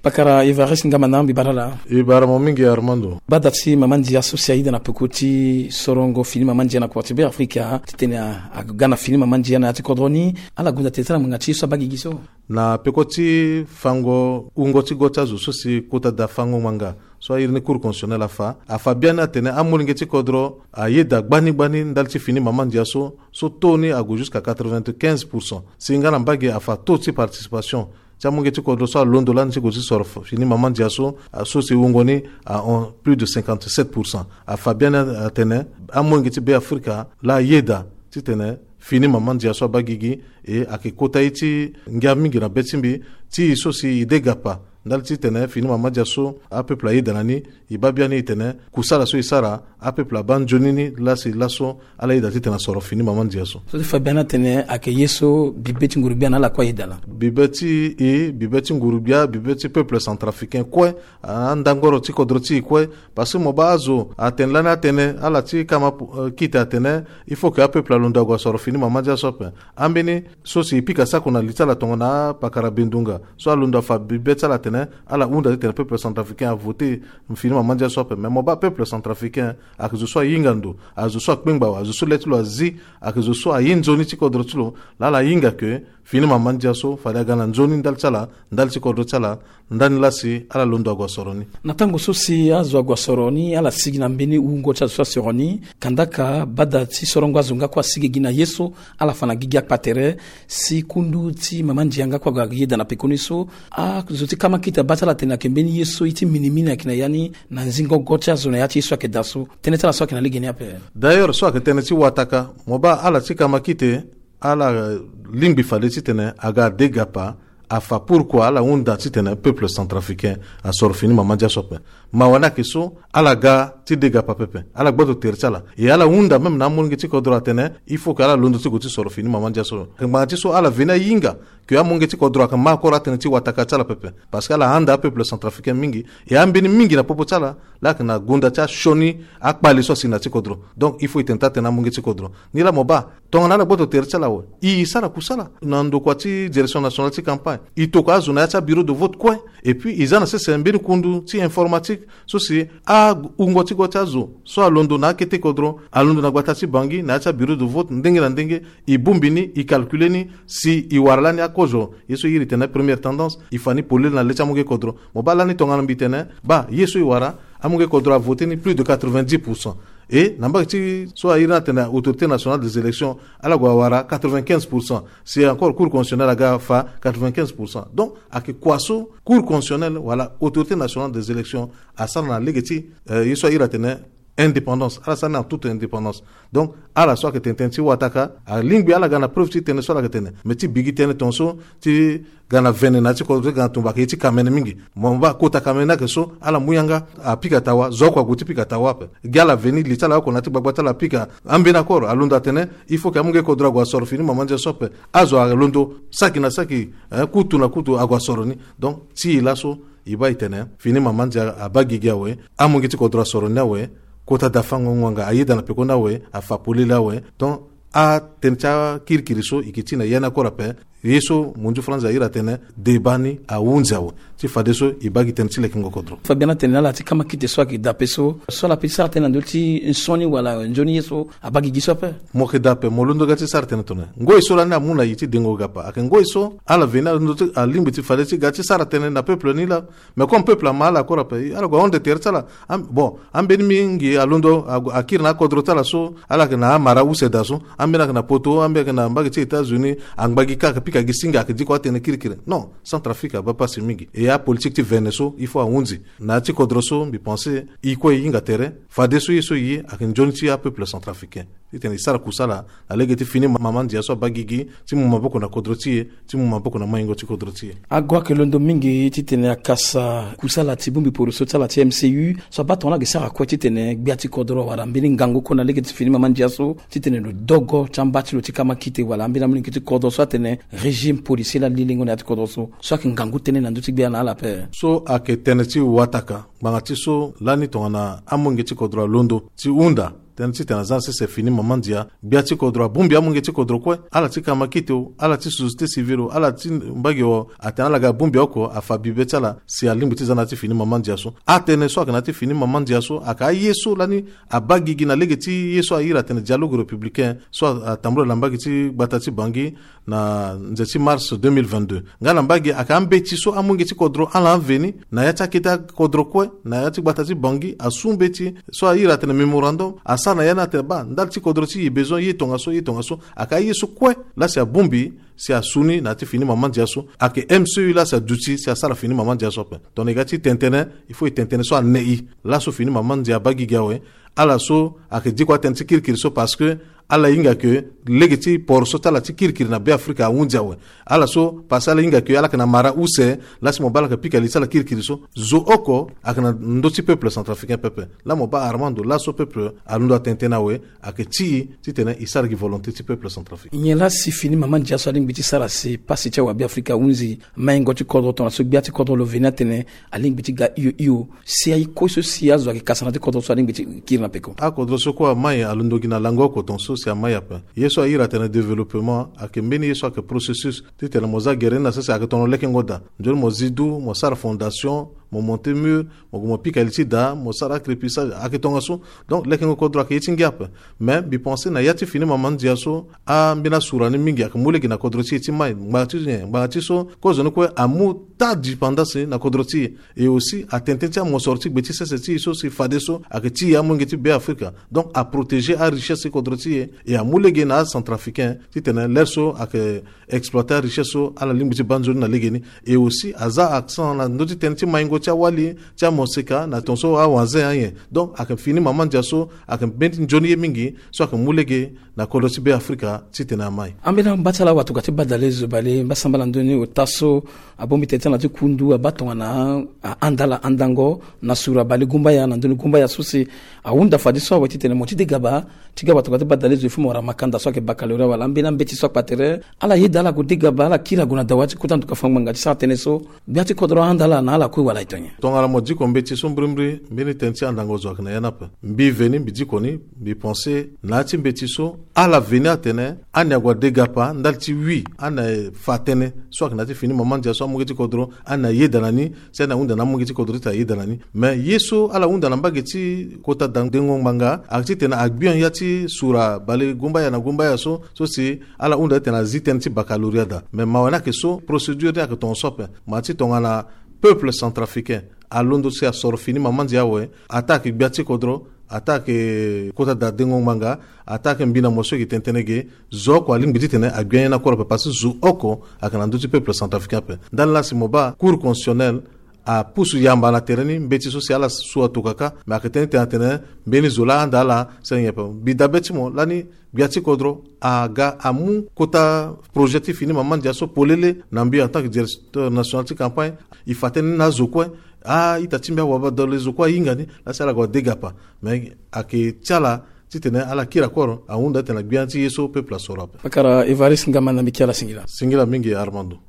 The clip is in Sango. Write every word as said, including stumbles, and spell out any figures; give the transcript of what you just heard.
Pakara Evariste Ngamana, mbi bara laa. E bara mo mingi Armando. Bada ti mama ndia so si ayeda na peko ti sorongo fini mama ndia na kua ti Be Afrika titene a, aga na fini mama ndia na ya ti kodro ni, ala gonda tene ti ala ngbanga ti ye so abaa gigi so. Na peko ti fango wungo ti go ti azo so si kota da fango ngbanga so airi ni Cour constitutionnelle afa, afa biani atene amolenge ti kodro ayeda gbani gbani ndali ti fini mama ndia so, so taux ni ague jusqu'à quatre-vingt-quinze pour cent. Si nga na mbage afa taux ti participation ti amolenge ti kodro so alondo lani ti gue ti soro f-, fini mama ndia so, a, so si wungo ni ahon plus de cinquante-sept pour cent. Afa biani atene amolenge ti Be Afrika laa ayeda titene fini mama ndia so abaa gigi. E ayeke kota ye ti ngia mingi na be ti mbi, ti e so si e de gapa ndali titene fini mama ndia so apeuple ayeda na ni. E baa biani e tene kusala so e sara, apeuple abaa nzoni ni lasi laso ala yeda titene asoro fini mama ndia so. So ti fa biani atene ayeke ye so bibe ti nguru gbia na ala kue ayeda laa. Bibe ti e, bibe ti nguru gbia, bibe ti peuple centrafricain kue, andangoro ti kodro ti e kue. Parce que mo baa azo atene lani atene ala ti kama, eh, kite atene il faut que apeuple alondo ague asoro fini mama ndia so ape. Ambeni so si e pika sako na li ti ala tongana apakara bendunga so alondo afa bibe ti ala atene ala hunda titene peuple centrafricain avote fini mama ndia so ape. Mais mo baa peuple centrafricain ayeke zo so ahinga ndo, azo so akpengba awe, azo so le ti lo azi, ayeke zo so aye nzoni ti kodro ti lo. Laa ala hinga ke fini mama ndia so fade aga na nzoni ndali ti ala, ndali ti kodro ti ala, ndani lasi ala londo ague asoro ni. Na tango so si azo ague asoro ni, ala sigi na mbeni wungo ti azo so asoro ni. Kandaka bada ti sorongo azo nga kue asigi gi na ye so ala fa na gigi akpa tere. Si kundu ti mama ndia nga kue ague ayeda na pekoni so, azo ti kama kite abaa ti ala tene ayeke mbeni ye so ye ti minimini ayeke na ya ni na nzingo go ti azo na ya ti ye so ayeke daa so. Tënë ti ala so ayeke na lege ni ape. D'ailleurs so ayeke tënë ti wataka, mo baa ala ti kama kite ala lingbi fade titene aga ade gapa afa pourquoi ala hunda titene peuple centrafricain asoro fini mama ndia so ape. Mawa ni ayeke so ala ga ti de gapa pepe, ala gboto tere ti ala. E ala hunda même na amolenge ti kodro atene il faut que ala londo ti gue ti soro fini mama ndia so. Ngbanga ti so ala veni ahinga ke amolenge ti kodro ayeke ma akoro atënë ti wataka ti ala pepe. Parce que ala handa apeuple centrafricain mingi. E ambeni mingi na popo ti ala laa ayeke na gonda ti asioni akpale so asi na ti kodro. Donc il faut e tene taa tene amolenge ti kodro. Ni laa mo baa tongana ala gboto tere ti ala awe, e sara kusala na ndokua ti direction nationale ti campagne, e tokua azo na ya ti abureau de vote kue. Et puis e za na sese mbeni kundu ti informatique so si awungo ti go ti azo so alondo na akete kodro, alondo na gbata ti Bangui na ya ti abureau de vote ndenge na ndenge, e bongbi ni, e calcule ni. Si e wara lani akozo ye so e iri tene première tendance, e fa ni polele na le ti amolenge kodro. Mo baa lani tongana mbi tene baa ye so e wara, amolenge kodro avote ni plus de quatre-vingt-dix pour cent. Et na mbage ti so airi ni atene Autorité nationale des élections, ala gue awara quatre-vingt-quinze pour cent. Si encore Cour constitutionnelle aga afa quatre-vingt-quinze pour cent. Donc ayeke kua so Cour constitutionnelle wala Autorité nationale des élections asara na lege ti, eh, ye so airi atene indépendance, ala sara ni en toute indépendance. Donc ala so ayeke tene tënë ti wataka, alingbi ala ga na preuve ti tënë so ala yeke tene. Mais ti bigi tënë tongaso ti ga na vene na ya ti kodro ti ga na tumba ayeke ye ti kamene mingi. Mo baa kota kamene ni ayeke so ala mu yanga apika tawa, zo oko ague ti pika tawa ape. Gi ala veni li ti ala oko na ya ti gbagba ti ala apika. Ambeni akoro alondo atene il faut que amolenge kodro ague asoro fini mama ndia so ape. Azo alondo saki na saki, eh, kutu na kutu ague asoro ni. Donc ti e laso e baa e tene fini mama ndia abaa gigi awe, amolenge ti kodro asoro ni awe, kota da fango ngbanga ayeda na pekoni awe, afa polele awe. Donc atënë ti akirikiri so e yeke ti na ya ni akoro ape. Ye so mondio France airi atene deba ni ahunzi awe. Ti fadeso e baa gi tënë ti lekengo kodro. Fabien atene na ala ti kama kite so ayeke dape so, so ala pe ti sara tënë na ndö ti nsioni wala nzoni ye so abaa gigi so ape. Mo yeke dape, mo londo ga ti sara tënë tongana ngoi so lani amu na e ti dengo gapa ayeke ngoi so ala veni alondo ti alingbi ti fade ti ga ti sara tënë na peuple ni laa. Mais comme peuple ama ala kora ape, ala gue ahon de tere ti ala. Am-, bon, ambeni mingi alondo agu-, akiri na akodro ti ala so ala yeke na amara use daa so. Ambeni ayeke na poto, ambeni ayeke na mbage ti États-Unis, angba gi kâ ayeke pika gi singa ayeke diko atënë kirikiri. Non, Centrafrique abaa pasi mingi. E apolitique ti vene so il faut ahunzi. Na ya ti kodro so mbi pense e kue e hinga tere. Fadeso ye so e ye ayeke nzoni ti apeuple centrafricain. Titene e sara kusala na lege ti fini ma-, mama ndia so abaa gigi ti mu maboko na kodro ti e, ti mu maboko na maingo ti kodro ti e. Ago ayeke londo mingi titene akasa kusala ti bongbi poroso ti ala ti M C U so abaa tongana ayeke sara kue titene gbia ti kodro wala mbeni ngangu kue na lege ti fini mama ndia so titene lo dogo ti amba ti lo ti kama kite wala ambeni amolenge ti kodro so atene régime policier laa lilingo na ya ti kodro so, so ayeke ngangu tënë na ndö ti gbia na ala ape. So ayeke tënë ti wataka. Ngbanga ti so lani tongana amolenge ti kodro alondo ti hunda Tënë titene aza na sese fini mama ndia, gbia ti kodro abongbi amolenge ti kodro kue, ala ti kamakite o, ala ti société civile o, ala ti mbage o, atene ala ga abongbi oko, afa bibe ti ala si alingbi ti za na ya ti fini mama ndia so. Atënë so ayeke na ya ti fini mama ndia so ayeke aye so lani abaa gigi na lege ti ye so ahiri atene dialogue républicain so atambula na mbage ti gbata ti Bangui na nze ti mars deux mille vingt-deux. Nga na mbage ayeke ambeti so amolenge ti kodro ala aveni na ya ti akete kodro kue na ya ti gbata ti Bangui asu mbeti so ahiri atene mémorandum, asara na ya ni atene baa ndali ti kodro ti e besoin ye tongaso, ye tongaso. Ayeke aye so kue laa si abongbi si asu ni na ya ti fini mama ndia so. Ayeke M C U laa si aduti si asara fini mama ndia so ape. Tongana e ga ti tene tënë, il faut e tene tënë so anei. Laso fini mama ndia abaa gigi awe. Ala so ayeke diko atënë ti kirikiri so parce que ala hinga ke lege ti port so ti ala ti kirikiri na Beafrika ahunzi awe. Ala so parce que ala hinga ke ala yeke na mara use, laa si mo baa ala yeke pika li ti ala kirikiri so. Zo oko ayeke na ndö ti peuple centrafricain pepe. Laa mo baa Armando, laso peuple alondo atene tënë awe, ayeke ti e titene e sara gi volonté ti peuple centrafricain. Nyen laa si fini mama ndia so alingbi ti sara si pasi ti awabe Afrika ahunzi maingo ti kodro tongana so gbia ti kodro lo veni atene alingbi ti ga hio hio, si aye kue so si azo ayeke kasa na ya ti kodro so alingbi ti kiri na peko. Akodro so kue amai alondo gi na lango oko tongaso si amai ape. Ye so ahiri atene développement ayeke mbeni ye so ayeke processus. Titene mo za gere ni na sese ayeke tongana lekengo daa. Nzoni mo zi du, mo sara fondation, mo monter mur, mo gue mo pika li ti daa, mo sara crépissage, ayeke tongaso. Donc lekengo kodro ayeke ye ti ngia ape. Mais mbi pense na ya ti fini mama ndia so, ambeni asura ni mingi ayeke mu lege na kodro ti e ti mai. Ngbanga ti nyen? Ngbanga ti so kozoni kue amu taa dépendance na kodro ti e. Et aussi atene tënë ti amosoro ti gbe ti sese ti e so si fadeso ayeke ti e amolenge ti Beafrika. Donc aprotéger arichesse ti kodro ti e. E amu lege na acentrafricain titene lere so ayeke exploiter arichesse so ala lingbi ti baa nzoni na legeni. Et aussi aza accent na ndö ti tënë ti maingo ti awali, ti amoseka na tongaso awanze anyen. Donc ayeke fini mama ndia so ayeke mbeni nzoni ye mingi so ayeke mu lege na kodro ti Beafrika titene amai. Ambeni amba ti ala awatokua ti badalezo bale mbasambala ndoni ota so abongbi tene ti ala na ti kundu abaa tongana ahanda ala andango na sura bale gumbaya na ndoni gumbaya so si ahunda fadeso awe titene mo ti degaba ti ga watokua ti badalezo il faut mo wara makanda so ayeke baccalauréat wala ambeni ambeti so akpa tere. Ala yeda ala gue degaba ala kiri ague na dawa ti kota nduka fangbanga ti sara tënë so gbia ti kodro ahanda ala na ala kue wala e to nyen? Tongana mo diko mbeti so mbirimbiri mbeni tënë ti andango zo ayeke na ya ni ape. Mbi veni mbi diko ni mbi pense na ya ti mbeti so ala veni atene ani ague adegapa ndali ti wi ani afa tënë so ayeke na ya ti fini mama ndia so amolenge ti kodro ani ayeda na ni si ani ahunda na amolenge ti kodro titene ayeda na ni. Mais ye so ala hunda na mbage ti kota da dengo ngbanga ayeke titene agbia ya ti sura bale gumbaya na gumbaya so so si ala hunda titene azi tënë ti baccalauréat daa. Mais mawa ni ayeke so procédure ni ayeke tongaso ape. Ma ti tongana peuple centrafricain alondo si asoro fini mama ndia awe, ataa ayeke gbia ti kodro, ataa ayeke kota da dengo ngbanga, ataa ayeke mbi na mo so e yeke tene tënë ge, zo oko alingbi titene agbia ye ni akoro ape parce que zo oko ayeke na ndö ti peuple centrafricain ape. Ndali laa si mo baa Cour constitutionnelle apusu yamba na tere ni mbeti so si ala su atokua kâ. Mais ayeke tënë ti tene atene mbeni zo laa ahanda ala si ala nyen ape. Mbi dabe ti mo lani gbia ti kodro aga amu kota projet ti fini mama ndia so polele na mbi en tant que directeur national ti campagne. E fa tënë ni na azo kue, a-ita ti mbi awabadalezo kue ahinga ni laa si ala gue adegapa. Mais ayeke ti ala titene ala kiri akoro ahunda titene agbia ti ye so peuple asoro ape. Pakara Évariste Ngamanda, mbi ke ala singila. Singila mingi Armando.